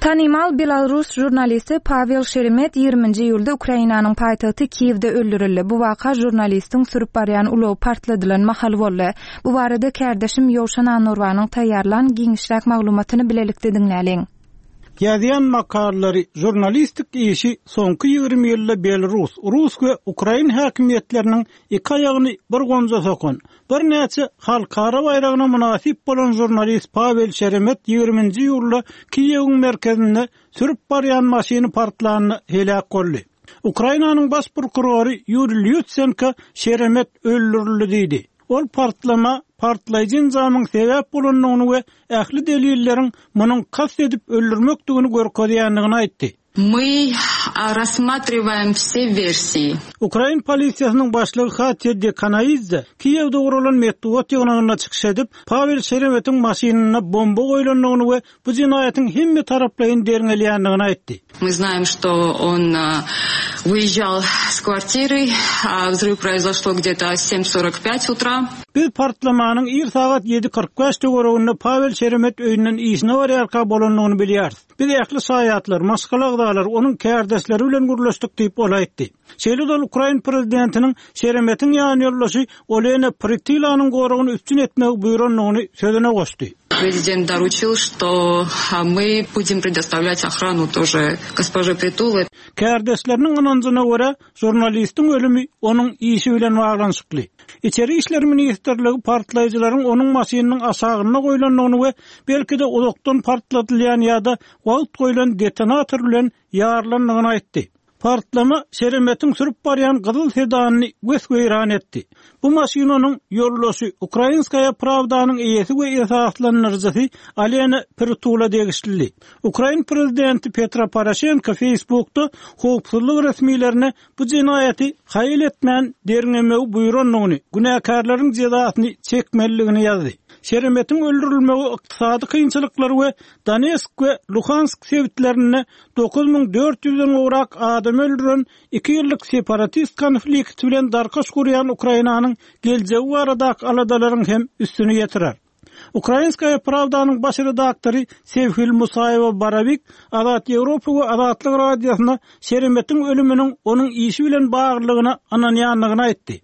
Tanymal belarus žurnalisti Pawel Şeremet ýigriminji iýulda Ukrainanyň paýtagty Kiýewde öldürildi. Bu waka žurnalistiň sürüp barýan ulagy partladylan mahaly boldy. Bu barada kärdeşim Ýowşan Annurbanyň taýýarlan giňişräk maglumatyny bilelikde diňläliň. Ýazýan makalalary, žurnalistik işi soňky 20 ýylda belarus, rus we ukrain häkimiýetleriniň iki aýagyny bir gonja sokan, Birnäçe halkara baýragyna mynasyp bolan žurnalist Pawel Şeremet ýigriminji iýulda Kiýewiň merkezinde sürüp barýan maşyny partlanda heläk boldy. Ukrainanyň baş prokurory Ýuriý Lýutsenko Şeremet öldürildi diýdi. Ol partlama partlaýjy enjamyň sebäp bolandygyny we ähli delilleriň munuň kast edip öldürmekdigini görkezýändigini aýtdy. My rassmatriwaem wse wersiýi. Ukrain polisiýasynyň başlygy Hatýa Dekanaidze Kiýewde guralan metbugat ýygnagynda çykyş edip, Pawel Şeremetiň maşynynda bomba goýlandygyny we bu jenaýatyň hemme taraplaýyn derňelýändigini aýtdy. My znaem, çto on wyýežžal s kwartiry, wzryw proizoşlo gde-to sem sorok pýat utra. Biz partlamanyň ir sagat ýedi 45 töwereginde Pawel Şeremet öýünden işine barýarka bolandygyny bilýäris. Biz ähli şaýatlar, maşgala agzalary, onuň kärdeşleri bilen gürleşdik diýip, ol aýtdy. Şeýle-de ol ukrain prezidentiniň Şeremetiň ýanýoldaşy Olena Prytylanyň goragyny üpjün etmegi buýrandygyny sözüne goşdy. Prezident doruçil, çto my budem predostavlýat ohranu tože gospože Pritule. Kärdeşleriniň ynanjyna görä, Žurnalistiň ölümi onuň işi bilen baglanyşykly. Içeri işler ministrligi partlaýjylaryň onuň maşynynyň aşagynda goýlandygyny we belki-de uzakdan partladylýan ýa-da wagt goýlan detonator bilen ýarylandygyny aýtdy. Partlama Şeremetiň sürüp barýan gyzyl sedanyny wes-weýran etdi. Bu maşyn onuň ýoldaşy, Ukrainskaýa prawdanyň eýesi we esaslandyryjysy Alena Pritula degişlidi. Ukrain prezidenti Petro Poroşenko Facebookda howpsuzlyk resmilerine bu jenaýaty haýal etmän derňemegi buýrandygyny, günäkärleriň jezasyny çekmelidigini ýazdy. Şeremetiň öldürilmegi ykdysady kynçylyklar we Donetsk we Luhansk sebitlerinde 9400 den gowrak adamy öldüren iki ýyllyk separatist konflikti bilen darkaş gurýan Ukrainanyň geljegi baradaky aladalaryň hem üstüni ýetirer. Ukrainskaýa prawdanyň baş redaktory Sewhil Musaýewa-Barowik Azat Ýewropa we Azatlyk Radiosyna Şeremetiň ölüminiň onuň işi bilen baglylygyna ynanýandygyny aýtdy.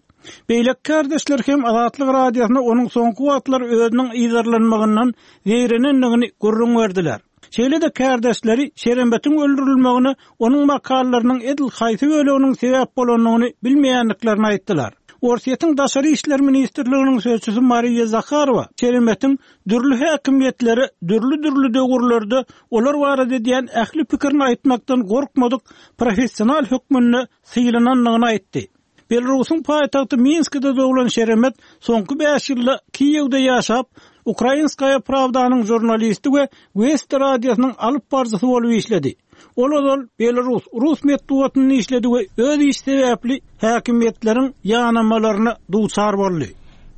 Beýleki kärdeşler hem Azatlyk Radiosyna onuň soňky wagtlar özüniň yzarlanmagyndan zeýrenendigini gürrüň berdiler. Şeýle-de kärdeşleri Şerembetiň öldürilmegine onuň makalalarynyň edil haýsy böleginiň sebäp bolandygyny bilmeýändiklerini aýtdylar. Orsýetiň Daşary işler ministrliginiň sözçüsi Mariýa Zaharowa Şeremetiň dürli häkimiýetlere dürli-dürli döwürlerde olar barada edýän ähli pikirini aýtmakdan gorkmadyk professional hökmünde sylanandygyny aýtdy. Belarusyň paýtagty Minskide doglan Şeremet soňky bäş ýylda Kiýewde ýaşap, Ukrainskaýa prawdanyň žurnalisti we Westi radiosynyň alyp baryjysy bolup işledi. Ol ozal belarus, rus metbugatynda işledi we öz işi sebäpli häkimiýetleriň ýanamalaryna duçar boldy.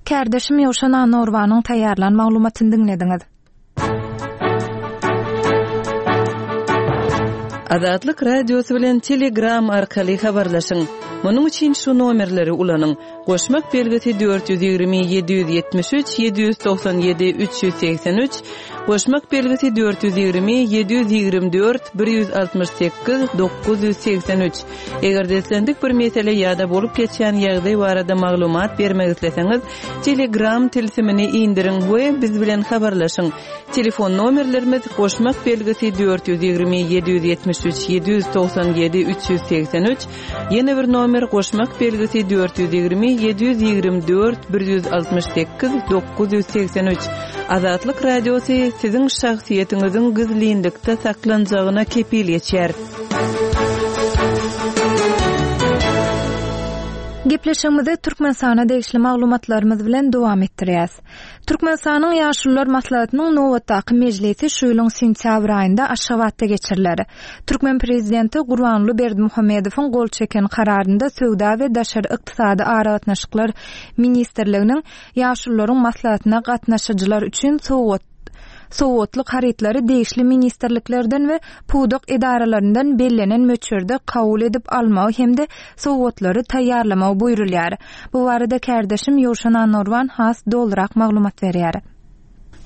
Kärdeşim Ýowşan Annagurbanyň taýýarlan maglumatyny diňlediňiz. Azatlyk Radiosy bilen Telegram arkaly habarlaşyň. Munuň üçin şu nomerleri ulanyň, goşmak belgisi 420 773 797 383, goşmak belgisi 420 724 168 983. Eger-de islendik bir mesele ýa-da bolup geçýän ýagdaý barada maglumat bermek isleseňiz, Telegram tilsimini indiriň we biz bilen habarlaşyň. Telefon nomerlerimiz, goşmak belgisi 420 773 797 383, ýene bir nomer goşmak belgisi 420 724 168 983. Azatlyk Radiosy siziň şahsyýetiňiziň gizlinlikde saklanjagyna kepil geçýär. Gepleşigimizi Türkmenistana degişli maglumatlarymyz bilen dowam etdirýäs. Türkmenistanyň Ýaşulular maslahatynyň nobatdaky mejlisi şu ýylyň sentýabr aýynda Aşgabatda geçiriler. Türkmen prezidenti Gurbanguly Berdimuhamedowyň gol çeken Kararynda Söwda we daşary ykdysady aragatnaşyklar ministrliginiň Ýaşulularyň maslahatyna gatnaşyjylar üçin sowgat sowgatlyk harytlary degişli ministrliklerden we pudak edaralaryndan bellenen möçberde kabul edip almagy hem-de sowgatlary taýýarlamagy buýrulýar. Bu barada kärdeşim Ýowşan Annagurban has dolurak maglumat berýär.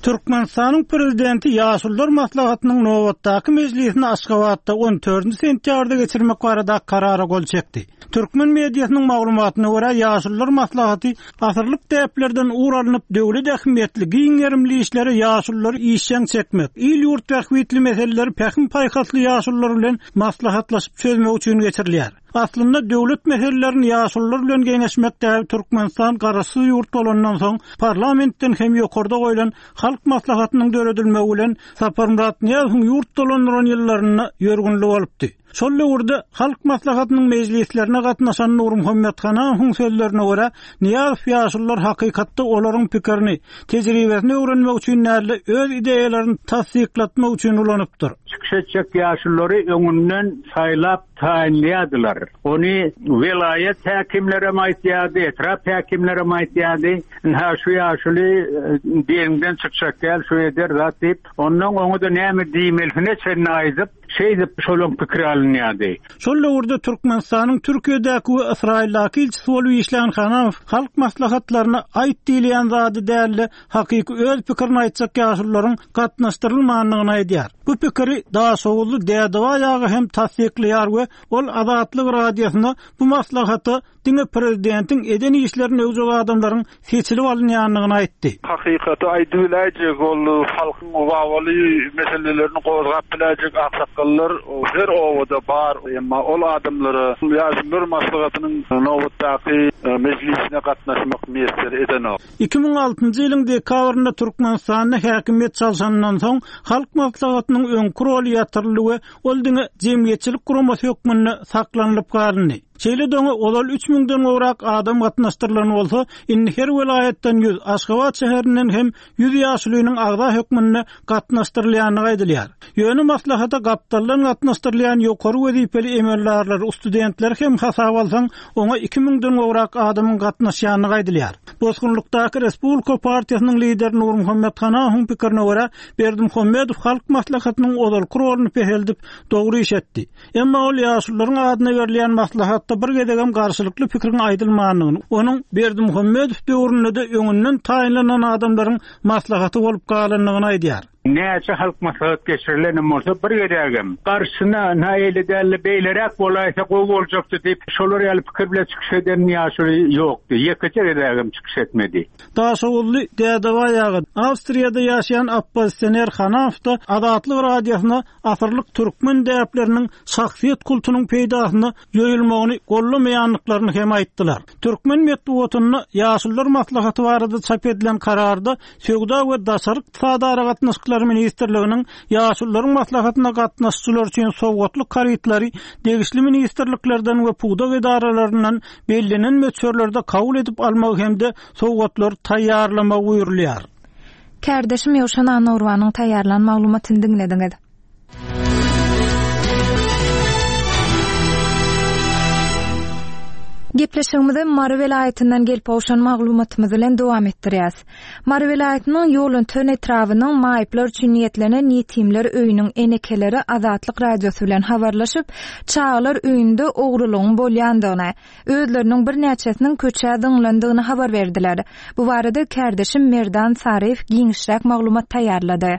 Türkmenistanyň Prezidenti Ýaşulular maslahatynyň nobatdaky mejlisini Aşgabatda on dördünji sentýabrda geçirmek barada Karara gol çekdi. Türkmen mediasynyň maglumatyna görä, Ýaşulular maslahaty asyrlyk däplerden ugur alnyp, döwlet ähmiýetli, giň gerimli işlere ýaşululary işjeň çekmek, il-ýurt bähbitli meseleleri pähim-paýhasly ýaşulular bilen maslahatlaşyp çözmek üçin geçirilýär. Aslynda döwlet meselelerini ýaşulular bilen geňeşmek däbi Türkmenistan garaşsyz ýurt bolandan soň parlamentden hem ýokarda goýlan Halk Maslahatynyň döredilmegi bilen Saparmyrat Nyýazowyň ýurt dolandyran ýyllarynda ýörgünli bolupdy. Şol döwürde Halk Maslahatynyň mejlislerine gatnaşan Nurmuhammet Hanamowyň sözlerine görä, Nyýazow ýaşulular hakykatda olaryň pikirini, tejribesini öwrenmek üçin däl-de, öz ideýalaryny tassyklatmak üçin ulanypdyr. Çykyş etjek ýaşululary öňünden saýlap taýynlaýardylar. Ony welaýat häkimlerem aýtýardy, etrap häkimlerem aýtýardy. Ynha, şu ýaşuly deňden çykjak däl, şu eder zat diýip, ondan oňa-da näme diýmelisine çenli aýdyp, şeýdip şolaň pikiri alynýardy. Şol döwürde Türkmenistanyň Türkiýedäki we Ysraýyldaky ilçisi bolup işlän Hanamow halk maslahatlaryna aýt diýilýän zady däl-de, hakyky öz pikirini aýtjak ýaşulularyň gatnaşdyrylmandygyny aýdýar. Bu pikiri daşoguzly Dädebaý aga hem tassyklaýar we ol Azatlyk Radiosyna bu maslahata diňe prezidentiň eden işlerini öwjek adamlaryň seçilip alynýandygyny aýtdy. Hakykaty aýdybiläýjek, ol halkyň wawaly meselelerini gozgap biläýjek aksakgallar her obada bar. Emma ol adamlara Ýaşulular maslahatynyň nobatdaky mejlisine gatnaşmak miýesser edenok. 2006-njy ýylyň dekabrynda Türkmenistanda häkimiýet çalşanyndan soň, Halk Maslahatynyň öňki roly ýatyryldy we ol diňe jemgyýetçilik guramasy hökmünde saklanylyp galyndy. Şeýle-de oňa ozal üç müňden gowrak adam gatnaşdyrylan bolsa, indi her welaýatdan ýüz, Aşgabat şäherinden hem ýüz ýaşulynyň agza hökmünde gatnaşdyrylýandygy aýdylýar. Ýöne maslahata gapdaldan gatnaşdyrylýan ýokary wezipeli emeldarlary, studentleri hem hasaba alsaň, oňa iki müňden gowrak adamyň gatnaşýandygy aýdylýar. Bosgunlykdaky Respublika partiýasynyň lideri Nurmuhammet Hanahowyň pikirine görä, Berdimuhamedow Halk Maslahatynyň ozalky roluny peseldip, dogry iş etdi. Emma ol ýaşulularyň adyna berilýän maslahatda bir gezegem garşylykly pikiriň aýdylmandygyny, onuň Berdimuhamedow döwründe-de öňünden taýynlanan adamlaryň maslahaty bolup galandygyny aýdýar. Näçe halk maslahat geçirilenem bolsa, bir gezegem garşysyna, ynha eýle däl-de, beýleräk bolaýsa gowy boljakdy diýip, şolar ýaly pikir bilen çykyş eden ýaşuly ýokdy. Ýekeje gezegem çykyş etmedi. Daşoguzly Dädebaý aga, Awstriýada ýaşaýan oppozisioner Hanafow-da Azatlyk Radiosyna asyrlyk türkmen däpleriniň şahsyýet kultunyň peýdasyna ýoýulmagyny goldamaýandyklaryny hem aýtdylar. Türkmen metbugatynda Ýaşulular maslahaty barada çap edilen kararda Söwda we daşary ykdysady aragatnaşyklar ministrliginiň Ýaşulularyň maslahatyna gatnaşyjylar üçin sowgatlyk harytlary degişli ministrliklerden we pudak edaralaryndan bellenen möçberlerde kabul edip almagy hem-de sowgatlary taýýarlamagy buýrulýar. Kärdeşim Ýowşan Annagurbanyň taýýarlan maglumatyny diňlediňiz. Gepleşigimizi Mary welaýatyndan gelip gowşan maglumatymyz bilen dowam etdirýäs. Mary welaýatynyň Ýolöten etrabynyň maýyplar üçin niýetlenen Ýetimler öýüniň enekeleri Azatlyk Radiosy bilen habarlaşyp, çagalar öýünde ogrulygyň bolýandygyny, özleriniň birnäçesiniň köçä zyňlandygyny habar berdiler. Bu barada kärdeşim Merdan Saryýew giňişräk maglumat taýýarlady.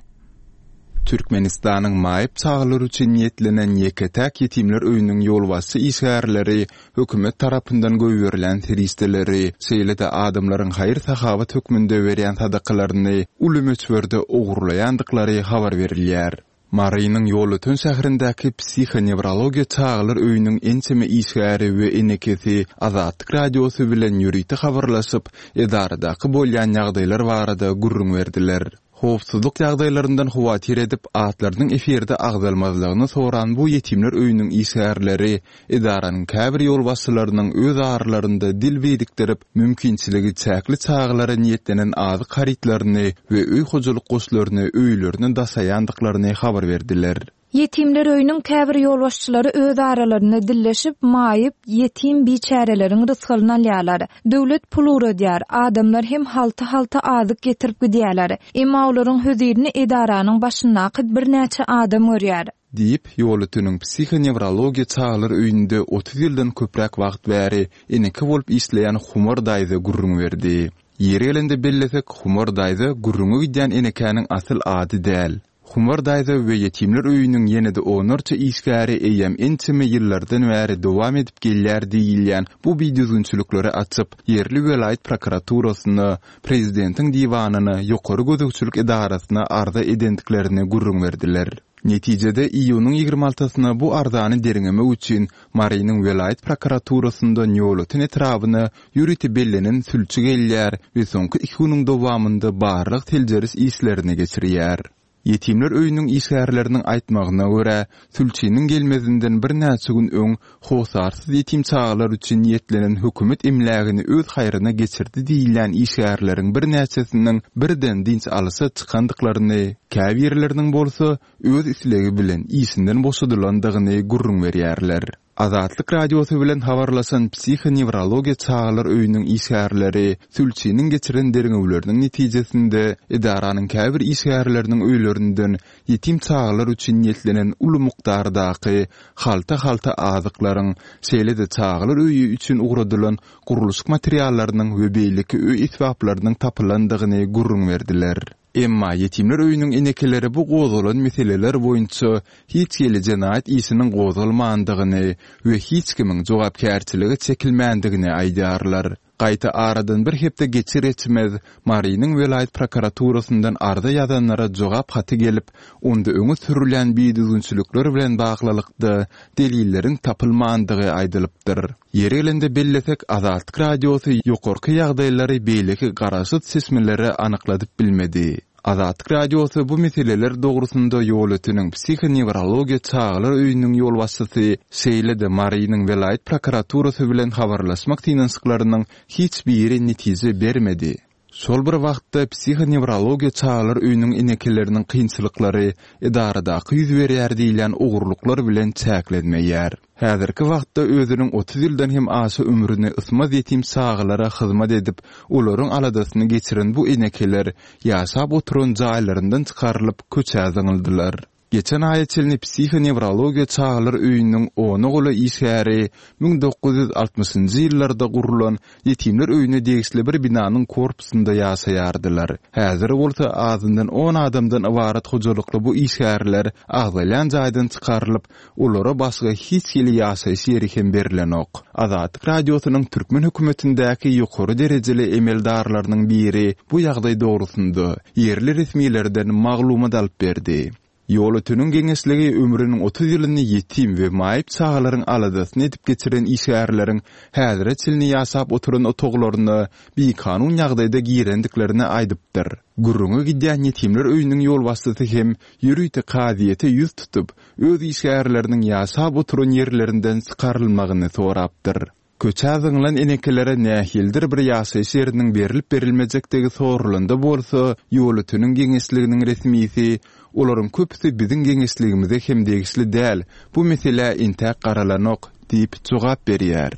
Türkmenistanyň maýyp çagalar üçin niýetlenen ýeke-täk ýetimler öýüniň ýolbaşçy işgärleri hökümet tarapyndan goýberilýän serişdeleri, şeýle-de adamlaryň haýyr-sahawat hökmünde berýän sadakalaryny uly möçberde ogurlaýandyklary habar berilýär. Marynyň Ýolöten şäherindäki psihonewrologiýa çagalar öýüniň ençeme işgäri we enekesi Azatlyk Radiosy bilen ýörite habarlaşyp, edaradaky bolýan ýagdaýlar barada gürrüň berdiler. Howpsuzlyk ýagdaýlaryndan howatyr edip, atlarynyň efirde agzalmazlygyny soran bu ýetimler öýüniň işgärleri edaranyň käbir ýolbaşçylarynyň öz aralarynda dil birikdirip, mümkinçiligi çäkli çagalara niýetlenen azyk harytlaryny we öý hojalyk goşlaryny öýlerine daşaýandyklaryny habar berdiler. Ýetimler öýüniň käbir ýolbaşçylary öz aralarynda dilleşip, maýyp, ýetim biçäreleriň rysgalyny alýarlar. Döwlet pul ugradýar, adamlar hem halta-halta azyk getirip gidýärler. Emma olaryň hözirini edaranyň başyndaky birnäçe adam görýär. Diýip, Ýolöteniň psihonewrologiýa çagalar öýünde 30 ýyldan köpräk wagt bäri eneke bolup işleýän Humar daýza gürrüň berdi. Ýeri gelende bellesek, Humar daýza gürrüňi gidýän enekäniň asyl ady däl. Humar daýza we ýetimler öýüniň ýene-de onlarça işgäri eýýäm ençeme ýyllardan bäri dowam edip gelýär diýilýän bu bidüzgünçilikleri açyp, ýerli welaýat prokuraturasyna, prezidentiň diwanyna, ýokary gözegçilik edarasyna arza edendiklerini gürrüň berdiler. Netijede, iýunyň 20 altysyna bu arzany derňemek üçin Marynyň welaýat prokuraturasyndan Ýolöten etrabyna ýörite bellenen sülçi gelýär we soňky iki günüň dowamynda barlag-seljeriş işlerini geçirýär. Ýetimler öýüniň işgärleriniň aýtmagyna görä, sülçiniň gelmezinden birnäçe gün öň hossarsyz ýetim çagalar üçin niýetlenen hökümet emlägini öz haýryna geçirdi diýilýän işgärleriň birnäçesiniň birden dynç alyşa çykandyklaryny, käbirleriniň bolsa öz islegi bilen işinden boşadylandygyny gürrüň berýärler. Azatlyk Radiosy bilen habarlaşan psihonewrologiýa çagalar öýüniň işgärleri sülçiniň geçiren derňewleriniň netijesinde edaranyň käbir işgärleriniň öýlerinden ýetim çagalar üçin niýetlenen uly mukdardaky halta-halta azyklaryň, şeýle-de çagalar öýi üçin ugradylan gurluşyk materiallarynyň we beýleki öý esbaplarynyň tapylandygyny gürrüň berdiler. Emma ýetimler öýüniň enekeleri bu gozgalan meseleler boýunça hiç hili jenaýat işiniň gozgalmandygyny we hiç kimiň jogapkärçilige çekilmändigini aýdýarlar. Gaýta aradan bir hepde geçir-geçmez Marynyň welaýat prokuraturasyndan arza ýazanlara jogap haty gelip, onda öňe sürülýän bidüzgünçilikler bilen baglylykda delilleriň tapylmandygy aýdylypdyr. Ýeri gelende bellesek, Azatlyk Radiosy ýokarky ýagdaýlary beýleki garaşsyz çeşmelere anykladyp bilmedi. Azatlyk Radiosy bu meseleler dogrusynda Ýolöteniň psihonewrologiýa çagalar öýüniň ýolbaşçysy, şeýle-de Marynyň welaýat prokuraturasy bilen habarlaşmak synanyşyklarynyň hiç biri netije bermedi. Şol bir wagtda, psihonewrologiýa çagalar öýüniň enekeleriniň kynçylyklary edaradaky ýüz berýär diýilýän ogurlyklar bilen çäklenmeýär. Häzirki wagtda özüniň 30 ýyldan hem aşa ömrüni ysmaz ýetim çagalara hyzmat edip, olaryň aladasyny geçiren bu enekeler ýaşap oturan jaýlaryndan çykarylyp, köçä zyňyldylar. Geçen aýa çenli psihonewrologiýa çagalar öýüniň ona golaý işgäri 1960-njy ýyllarda gurlan ýetimler öýüne degişli bir binanyň korpusynda ýaşaýardylar. Häzir bolsa azyndan on adamdan ybarat hojalykly bu işgärler agzalýan jaýdan çykarylyp, olara başga hiç hili ýaşaýyş ýeri hem berlenok. Azatlyk Radiosynyň türkmen hökümetindäki ýokary derejeli emeldarlarynyň biri bu ýagdaý dogrusynda ýerli resmilerden maglumat alyp berdi. Ýolöteniň geňeşligi ömrüniň 30 ýylyny ýetim we maýyp çagalaryň aladasyny edip geçiren işgärleriň häzire çenli ýaşap oturan otaglaryna bikanun ýagdaýda girendiklerini aýdypdyr. Gürrüňi gidýän ýetimler öýüniň ýolbaşçysy hem ýörite kazyýete ýüz tutup, öz işgärleriniň ýaşap oturan ýerlerinden çykarylmagyny sorapdyr. Köçä zyňlan enekelere nähilidir bir ýaşaýyş ýeriniň berlip-berilmejekdigi soralanda bolsa, Ýolöteniň geňeşliginiň resmisi, Olaryň köpüsi biziň geňeşligimize hem degişli däl, bu meselä entäk garalanok diýip jogap berýär.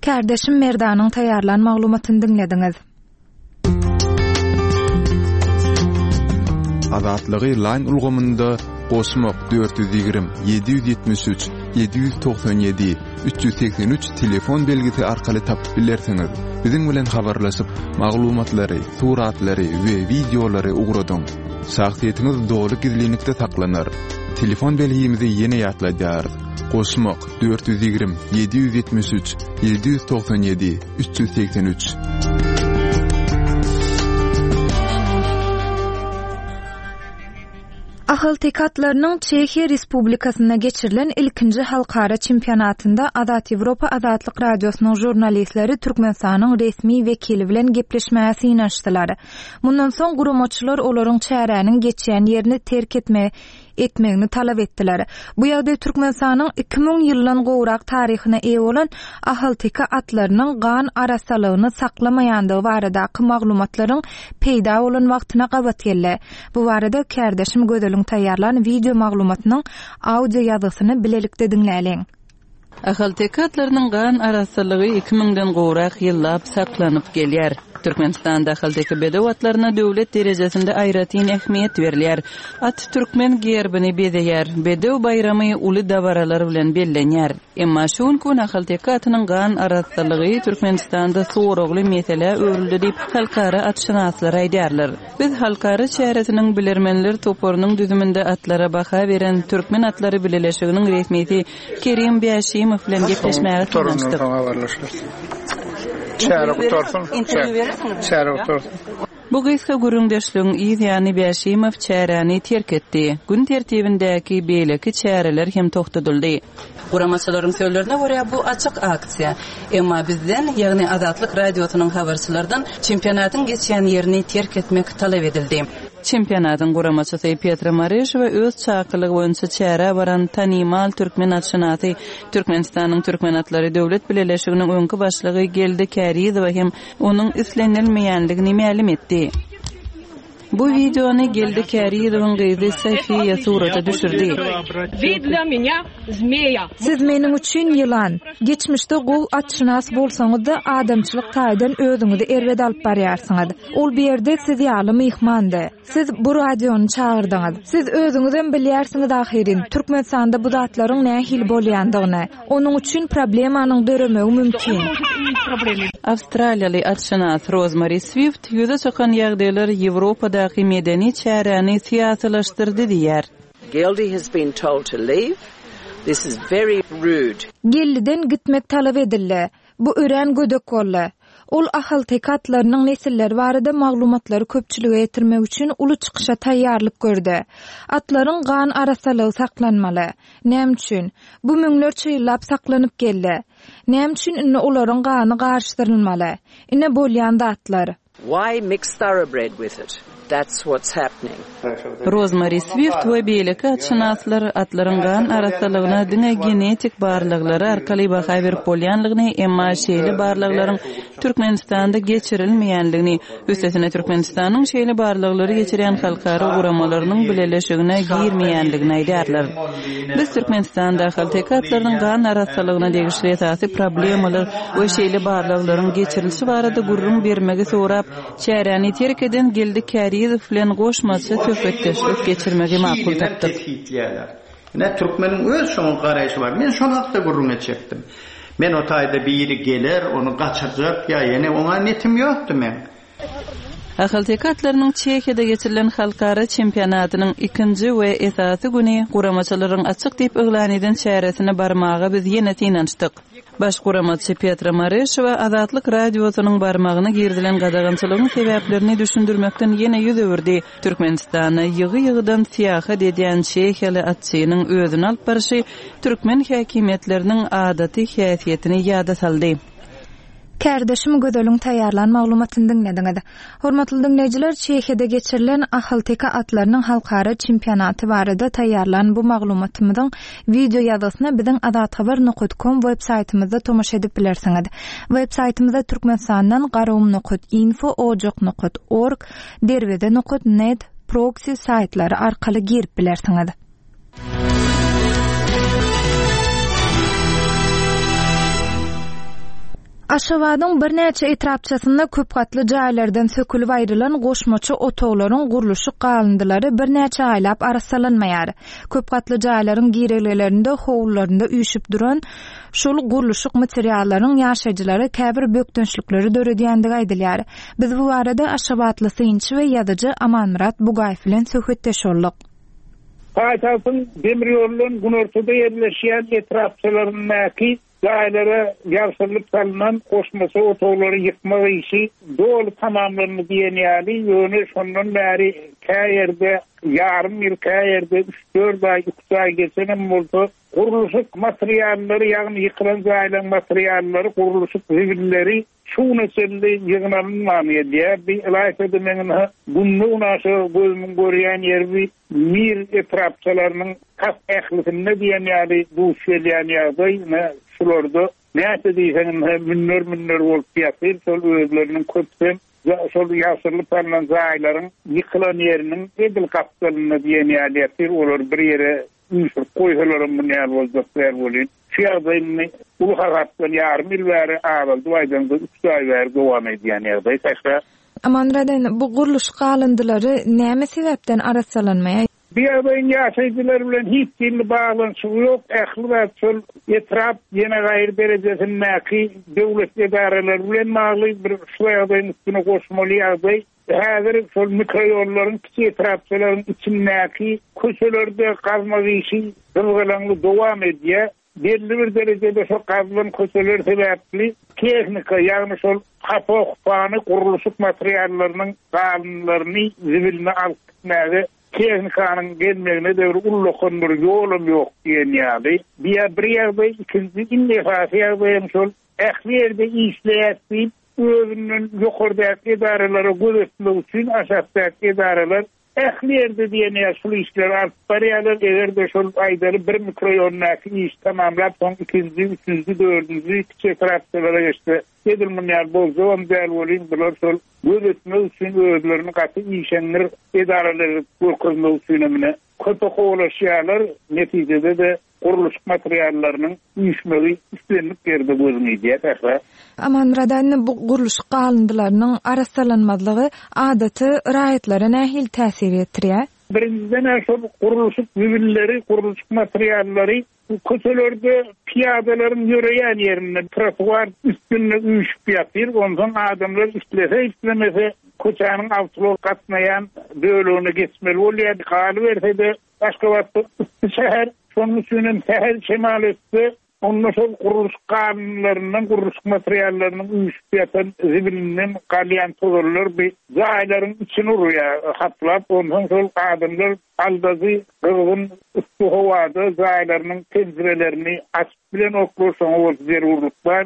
Kärdeşim Merdanyň taýýarlan maglumatyny diňlediňiz. Azatlygy Line ulgamynda goşmak 420 773 797 383 telefon belgisi arkaly tapyp bilersiňiz. Biziň bilen habarlaşyp, maglumatlary, suratlary we wideolary ugradyň. Şahsyýetiňiz doly gizlinlikde saklanar. Telefon belgimizi ýene ýatladýarys. Goşmak 420 773 797 383. Ahalteke atlarynyň Çehiýa Respublikasynda geçirilen ilkinji halkara çempionatynda Azat Ýewropa Azatlyk Radiosynyň žurnalistleri Türkmenistanyň resmi wekili bilen gepleşmäge synanyşdylar. Mundan soň guramaçylar olaryň çäräniň geçýän ýerini terk etme etmegini talap etdiler. Bu ýagdaý Türkmenistanyň 2000 ýyldan gowrak taryhyna eýe bolan ahalteke atlarynyň gan arassalygyny saklamaýandygy baradaky maglumatlaryň peýda bolan wagtyna gabat geldi. Bu barada kärdeşim Gözeliň taýýarlan wideo maglumatynyň audio ýazgysyny bilelikde diňläliň. Ahalteke atlarynyň gan arassalygy iki müňden gowrak ýyllap saklanyp gelýär. Türkmenistanda ahalteke bedew atlaryna döwlet derejesinde aýratyn ähmiýet berilýär. At türkmen gerbini bezeýär, bedew baýramy uly dabaralar bilen bellenýär. Emma şu günki gün ahalteke atynyň gan arassalygy Türkmenistanda soragly meselä öwrüldi diýip, halkara atşynaslar aýdýarlar. Biz halkara çäresiniň bilermenler toparynyň düzüminde atlara baha beren Türkmen atlary bileleşiginiň resmisi Kerim Bäşimow bilen gepleşmäge synanyşdyk. Çäre gutarsyn. Çäre gutarsyn. Bu gysga gürrüňdeşligiň yz ýany Bäşimow çäräni terk etdi. Gün tertibindäki beýleki çäreler hem togtadyldy. Guramaçylaryň sözlerine görä, bu açyk aksiýa. Emma bizden, ýagny Azatlyk Radiosynyň habarçylardan çempionatyň geçýän ýerini terk etmek talap edildi. Çempionatyň guramaçysy Petra Mareşowa öz çakylygy boýunça çärä baran tanymal türkmen atşynasy, Türkmenistanyň Türkmen atlary döwlet bileleşiginiň öňki başlygy Geldi Kärizowa hem onuň islenilmeýändigini mälim etdi. Bu wideony Geldi Kärizowyň gyzy Sofiýa surata düşürdi. Siz meniň üçin ýylan. Geçmişde gowy atşynas bolsaňyz-da, adamçylyk taýdan özüňizi erbet alyp barýarsyňyz. Ol bu ýerde siz ýaly myhmandy. Siz bu radiony çagyrdyňyz. Siz özüňizem bilýärsiňiz ahyryn, Türkmenistanda bu zatlaryň nähili bolýandygyny. Onuň üçin problemanyň döremegi mümkin. Awstraliýaly atşynas Rozmari Swift ýüze çykan ýagdaýlar Ýewropadaky medeni çäräni syýasylaşdyrdy diýýär. Geldi has been told to leave. This is very rude. Geldiden gitmek talap edildi. Bu örän gödek boldy. Ol ahalteke atlarynyň nesilleri barada maglumatlary köpçülige ýetirmek üçin uly çykyşa taýýarlyk gördi. Atlaryň gan arassalygy saklanmaly. Näme üçin? Bu müňlerçe ýyllap saklanyp geldi. Näme üçin indi olaryň gany garyşdyrylmaly? Ine bolýan zatlar. Why mix thoroughbred with it? That's what's happening. Rozmari Swift we beýleki atşynaslar atlaryň gan arassalygyna diňe genetik barlaglary arkaly baha berip bolýanlygyny, emma şeýle barlaglaryň Türkmenistanda geçirilmeýänligini, üstesine Türkmenistanyň şeýle barlaglary geçirýän halkara guramalarynyň bileleşigine girmeýänligini aýdýarlar. Biz Türkmenistanda ahalteke atlarynyň gan arassalygyna degişli esasy problemalar we şeýle barlaglaryň geçirilişi barada gürrüň bermegi sorap, çäräni terk eden Geldi Kärizow bilen goşmaça söhbetdeşlik geçirmegi makul tapdyk. Ine, türkmeniň öz şoňa garaýşy bar. Men şol hakda gürrüň etjekdim. Men o taýda biri geler, ony gaçyrjak ýa ýene oňa netim ýokdy meň. Ahalteke atlarynyň Çehiýada geçirilen halkara çempionatynyň ikinji we esasy güni guramaçylaryň açyk diýip yglan eden çäresine barmaga biz ýene synanyşdyk. Baş guramaçy Petra Mareşowa Azatlyk Radiosynyň barmagyna girizilen gadagançylygyň sebäplerini düşündirmekden ýene ýüz öwürdi. Türkmenistana ýygy-ýygydan syýahat edýän çehiýaly atçynyň özüni alyp barşy türkmen häkimiýetleriniň adaty häsiýetini ýada saldy. Kärdeşim Gözeliň taýýarlan maglumatyny diňlediňiz. Hormatly diňleýjiler, Çehiýada geçirilen ahalteke atlarynyň halkara çempionaty barada taýýarlan bu maglumatymyzyň wideo ýazgysyna biziň azathabar nokat kom web saýtymyzda tomaşa edip bilersiňiz. Web saýtymyza Türkmenistandan garagum nokat info, ojak nokat org, derweze nokat net proksi saýtlary arkaly girip bilersiňiz. Aşgabadyň birnäçe etrapçasynda köp gatly jaýlardan sökülip aýrylan goşmaça otaglaryň gurluşyk galyndylary birnäçe aýlap arassalanmaýar. Köp gatly jaýlaryň girelgelerinde, howlularynda üýşüp duran şol gurluşyk materiallaryň ýaşaýjylara käbir bökdençlikleri döredýändigi aýdylýar. Biz bu barada aşgabatly synçy we ýazyjy Amanmyrat Bugaýew bilen söhbetdeş bolduk. Paýtagtyň demir ýoldan günortada ýerleşýän etrapçalaryndaky jaýlara ýabşyrylyp salnan goşmaça otaglary ýykmak işi doly tamamlandy diýen ýaly, ýöne şondan bäri kä ýerde ýarym ýyl, kä ýerde üç-dört aý, üç aý geçenem bolsa, gurluşyk materiallary, ýagny ýykylan jaýlaryň materiallary, gurluşyk zibilleri Şu güne çenli ýygnalynman gelýär. Bi ylaýta-da meň ynha günde-günaşa gözümiň görýän ýeri bi Mir etrapçalarynyň tas ählisinde diýen ýaly duş gelýän ýagdaý ine şularda näçe diýseň ynha münder-münder bolup ýatyr şol özleriniň köpüsem şol ýagşyrylyp salnan jaýlaryň ýykylan ýeriniň edil gapdalynda diýen ýaly ýatyr olary bir ýere üýşürip goýsalaram muny ýaly boljak däl welin. Şu ýagdaý indi uly hasapdan ýarym ýyl bäri azaldyp aýdaňda üç aý bäri dowam edýän ýagdaý Sähra. Amanmyrat indi bu gurluşyk galyndylary näme sebäpden arassalanmaýar? Bu ýagdaýyň ýaşaýjylar bilen hiç hili baglanyşygy ýok, ähli zat şol etrap ýene gaýry derejesindäki döwlet edaralary bilen bagly bir şu ýagdaýyň üstüne goşmaly ýagdaý. Häzir şol mikroýollaryň kiçi etrapçalaryň içindäki köçelerde gazmak işi gyzgalaňly dowam edýär. Belli bir derejede şol gazylan köçeler sebäpli tehnika, ýagny şol hapa-hupany, gurluşyk materiallarynyň galyndylaryny, zibilini alyp gitmäge tehnikanyň gelmegine-de bir ullakan bir ýolam ýok diýen ýaly. Bu bir ýagdaý, ikinji iň esasy ýagdaýam şol ähli ýerde işleýäs diýip, özünden ýokardaky edaralara göz etmek üçin aşakdaky edaralar ähli ýerde diýen ýaly şul işleri alyp barýarlar. Eger-de şol aýdaly bir mikroýondaky işi tamamlap, soň ikinji, üçünji, dördünji kiçi etrapçalara geçse, edil muny ýaly boljagam däl welin, bular şol göz etmek üçin özlerini gaty işeňňir edaralar edip görkezmek üçinem ine köpe kowalaşýarlar. Netijede-de Gurluşyk materiallarynyň üýşmegi islendik ýerde gözüňe ilýär, Sähra. Amanmyrat indi bu gurluşyk galyndylarynyň arassalanmazlygy adaty raýatlara nähili täsir ýetirýär? Birinjiden-ä şol gurluşyk zibilleri, gurluşyk materiallary köçelerde pyýadalaryň ýöreýän ýerinde, trotuar üstünde üýşüp ýatyr. Onsoň adamlar islese-islemese köçäniň awtoulag gatnaýan bölegine geçmeli bolýar. Galyberse-de, Aşgabatda yssy şäher, şonuň üçin hem sähel şemal esse, onda şol gurluşyk galyndylaryndan, gurluşyk materiallarynyň üýşüp ýatan zibilinden galýan tozanlar bi jaýlaryň içini urýar haplap, onsoň şol adamlar aldajy gyzgyn yssy howada jaýlarynyň penjirelerini açyp bilenoklar, şoňa bolsa zerurlyk bar.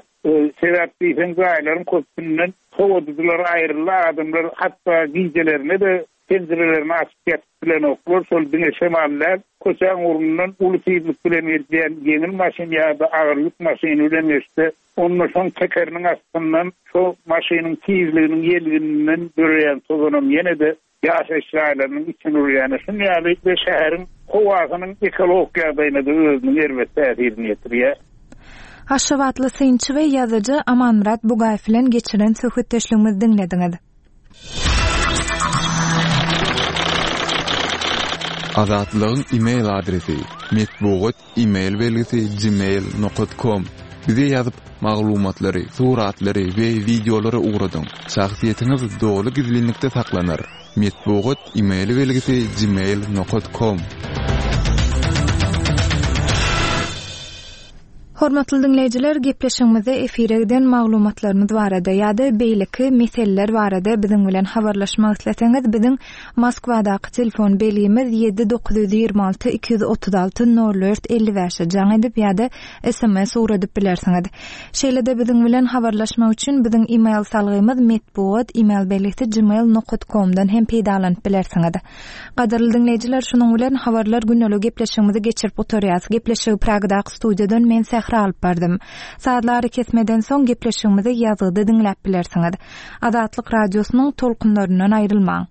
Sebäp diýseň jaýlaryň köpüsinden sowadyjylar aýryldy, adamlar hatda gijelerine-de Penjirelerini açyp ýatyp bilenoklar, şol diňe şemal däl, köçäň ugrundan uly tizlik bilen gelýän ýeňil maşyn ýa-da agyr ýük maşyny bilen geçse, onda şoň tekeriniň astyndan şo maşynyň tizliginiň ýelgininden döreýän tozanam ýene-de ýaşaýyş jaýlarynyň içini urýan. Şuny ýaly we şäheriň howasynyň ekologik ýagdaýyna-da özüniň erbet täsirini ýetirýär. Aşgabatly synçy we ýazyjy Amanmyrat Bugaýew bilen geçiren söhbetdeşligimizi diňlediňiz. Azatlygyň e-mail adresi, metbugat e-mail belgisi gmail nokat kom. Bize ýazyp, maglumatlary, suratlary we wideolary ugradyň. Şahsyýetiňiz doly gizlinlikde saklanar. Metbugat e-mail belgisi gmail nokat kom. Hormatly diňleýjiler, gepleşigimizde efire giden maglumatlarymyz barada ýa-da beýleki meseleler barada biziň bilen habarlaşmak isleseňiz, biziň Moskwadaky telefon belgimiz ýedi 926 236 nol dört 55-e jaň edip ýa-da sms ugradyp bilersiňiz. Şeýle-de biziň bilen habarlaşmak üçin biziň email salgymyz metbugat email belgisi gmail nokat komdan hem peýdalanyp bilersiňiz. Gadyrly diňleýjiler, şunuň bilen Habarlar gündeliği gepleşigimizi geçirip gutarýas. Gepleşigi Pragadaky studiýadan men Sähra alyp bardym. Sazly arakesmeden soň gepleşigimizi ýazgyda diňläp bilersiňiz. Azatlyk Radiosynyň tolkunlaryndan aýrylmaň.